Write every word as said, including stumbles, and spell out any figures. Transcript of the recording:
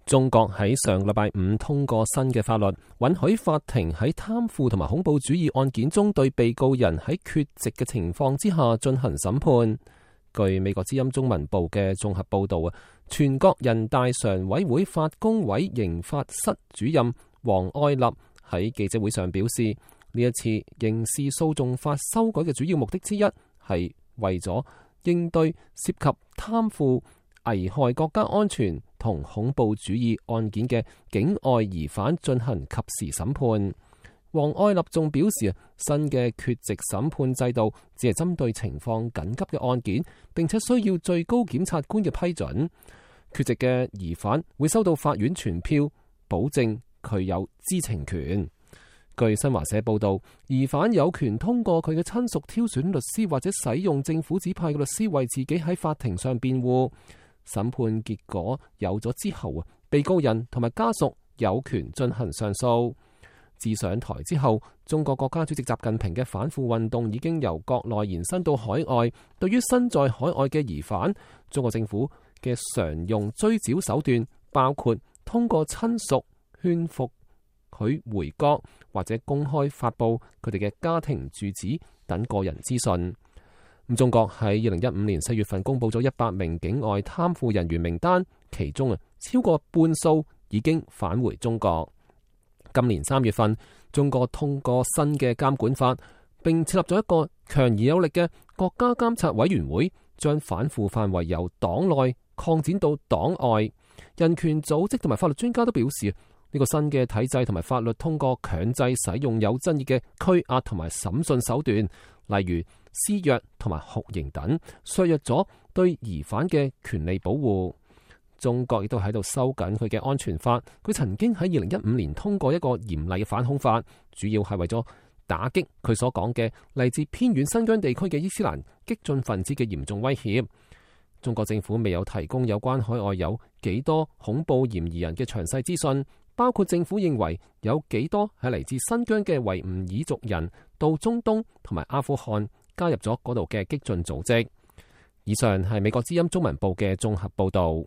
中國喺上個禮拜五通過新嘅法律，允許法庭喺貪腐同埋恐怖主義案件中對被告人喺缺席嘅情況之下進行審判。據美國之音中文部嘅綜合報道啊，全國人大常委會法工委刑法室主任王愛立喺記者會上表示，呢一次刑事訴訟法修改嘅主要目的之一係為咗應對涉及貪腐、危害國家安全同恐怖主義案件嘅境外疑犯進行及時審判。王愛立仲表示，新嘅缺席審判制度只係針對情況緊急嘅案件，並且需要最高檢察官嘅批准。缺席嘅疑犯會收到法院傳票，保證佢有知情權。據新華社報道，疑犯有權通過佢嘅親屬挑選律師，或者使用政府指派嘅律師為自己喺法庭上辯護。審判結果有咗之後啊，被告人同埋家屬有權進行上訴。自上台之後，中國國家主席習近平嘅反腐運動已經由國內延伸到海外。對於身在海外嘅疑犯，中國政府嘅常用追剿手段包括通過親屬勸服佢回國，或者公開發布佢哋嘅家庭住址等個人資訊。咁中國喺二零一五年四月份公布咗一百名境外貪腐人員名單，其中啊超過半數已經返回中國。今年三月份，中國通過新嘅監管法，並設立咗一個強而有力嘅國家監察委員會，將反腐範圍由黨內擴展到黨外。人權組織同埋法律專家都表示，呢個新嘅體制同埋法律通過強制使用有爭議嘅拘押同埋審訊手段，例如施虐同埋酷刑等，削弱咗對疑犯嘅權利保護。中國亦都喺度收緊佢嘅安全法。佢曾經喺二零一五年通過一個嚴厲嘅反恐法，主要係為咗打擊佢所講嘅嚟自偏遠新疆地區嘅伊斯蘭激進分子嘅嚴重威脅。中國政府未有提供有關海外有幾多恐怖嫌疑人嘅詳細資訊，包括政府認為有幾多係嚟自新疆嘅維吾爾族人到中東同埋阿富汗加入咗嗰度嘅激進組織。以上係美國之音中文部嘅綜合報導。